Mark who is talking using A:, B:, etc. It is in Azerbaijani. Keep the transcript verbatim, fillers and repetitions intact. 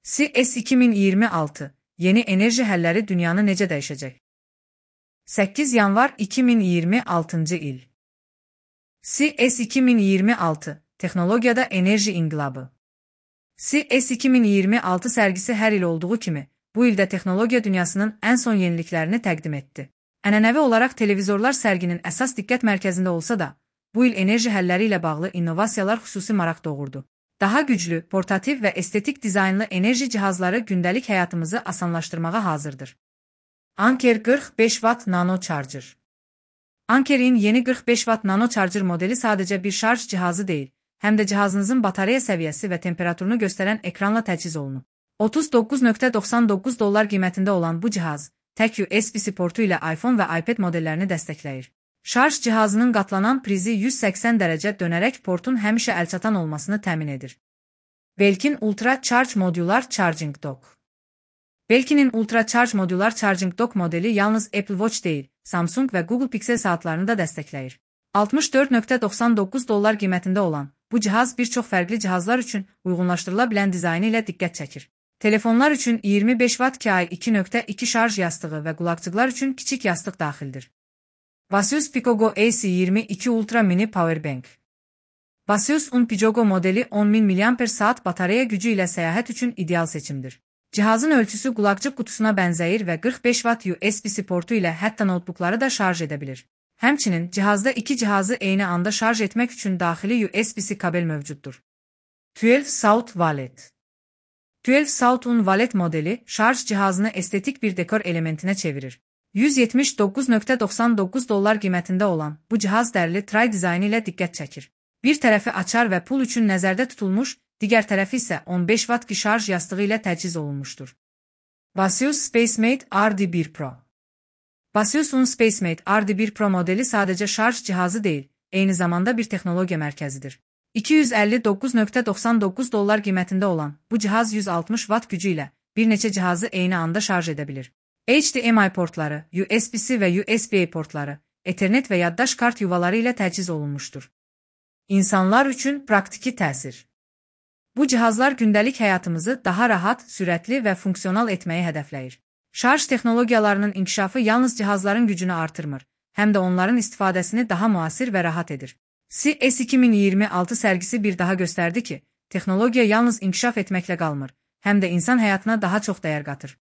A: C E S iki min iyirmi altı Yeni enerji həlləri dünyanı necə dəyişəcək? səkkiz yanvar iki min iyirmi altıncı il. C E S iki min iyirmi altı Texnologiyada enerji inqilabı. C E S iki min iyirmi altı sərgisi hər il olduğu kimi, bu ildə texnologiya dünyasının ən son yeniliklərini təqdim etdi. Ənənəvi olaraq televizorlar sərginin əsas diqqət mərkəzində olsa da, bu il enerji həlləri ilə bağlı innovasiyalar xüsusi maraq doğurdu. Daha güclü, portativ və estetik dizaynlı enerji cihazları gündəlik həyatımızı asanlaşdırmağa hazırdır. Anker qırx beş watt Nano Charger. Anker'in yeni qırx beş watt Nano Charger modeli sadəcə bir şarj cihazı deyil, həm də cihazınızın batareya səviyyəsi və temperaturunu göstərən ekranla təchiz olunub. otuz doqquz nöqtə doxsan doqquz dollar qiymətində olan bu cihaz, tək U S B-C portu ilə iPhone və iPad modellərini dəstəkləyir. Şarj cihazının qatlanan prizi yüz səksən dərəcə dönərək portun həmişə əlçatan olmasını təmin edir. Belkin Ultra Charge Modular Charging Dock. Belkin'in Ultra Charge Modular Charging Dock modeli yalnız Apple Watch deyil, Samsung və Google Pixel saatlarını da dəstəkləyir. altmış dörd nöqtə doxsan doqquz dollar qiymətində olan bu cihaz bir çox fərqli cihazlar üçün uyğunlaşdırıla bilən dizaynı ilə diqqət çəkir. Telefonlar üçün iyirmi beş watt Qi iki nöqtə iki şarj yastığı və qulaqçıqlar üçün kiçik yastıq daxildir. Vasius Picogo A C iyirmi iki Ultra Mini Powerbank. Vasius Un Picogo modeli on min miliamper saat batareya gücü ilə səyahət üçün ideal seçimdir. Cihazın ölçüsü qulaqçıq qutusuna bənzəyir və qırx beş watt U S B-C portu ilə hətta notebookları da şarj edə bilir. Həmçinin cihazda iki cihazı eyni anda şarj etmək üçün daxili U S B-C kabel mövcuddur. on iki South Wallet. on iki South Un Wallet modeli şarj cihazını estetik bir dekor elementinə çevirir. yüz yetmiş doqquz nöqtə doxsan doqquz dollar qiymətində olan bu cihaz dərli tray dizaynı ilə diqqət çəkir. Bir tərəfi açar və pul üçün nəzərdə tutulmuş, digər tərəfi isə on beş watt şarj yastığı ilə təchiz olunmuşdur. Vasius SpaceMate R D bir Pro. Vasius Un SpaceMate R D bir Pro modeli sadəcə şarj cihazı deyil, eyni zamanda bir texnologiya mərkəzidir. iki yüz əlli doqquz nöqtə doxsan doqquz dollar qiymətində olan bu cihaz yüz altmış watt gücü ilə bir neçə cihazı eyni anda şarj edə bilir. H D M I portları, U S B-C və U S B A portları, Ethernet və yaddaş kart yuvaları ilə təchiz olunmuşdur. İnsanlar üçün praktiki təsir. Bu cihazlar gündəlik həyatımızı daha rahat, sürətli və funksional etməyi hədəfləyir. Şarj texnologiyalarının inkişafı yalnız cihazların gücünü artırmır, həm də onların istifadəsini daha müasir və rahat edir. C E S iki min iyirmi altı sərgisi bir daha göstərdi ki, texnologiya yalnız inkişaf etməklə qalmır, həm də insan həyatına daha çox dəyər qatır.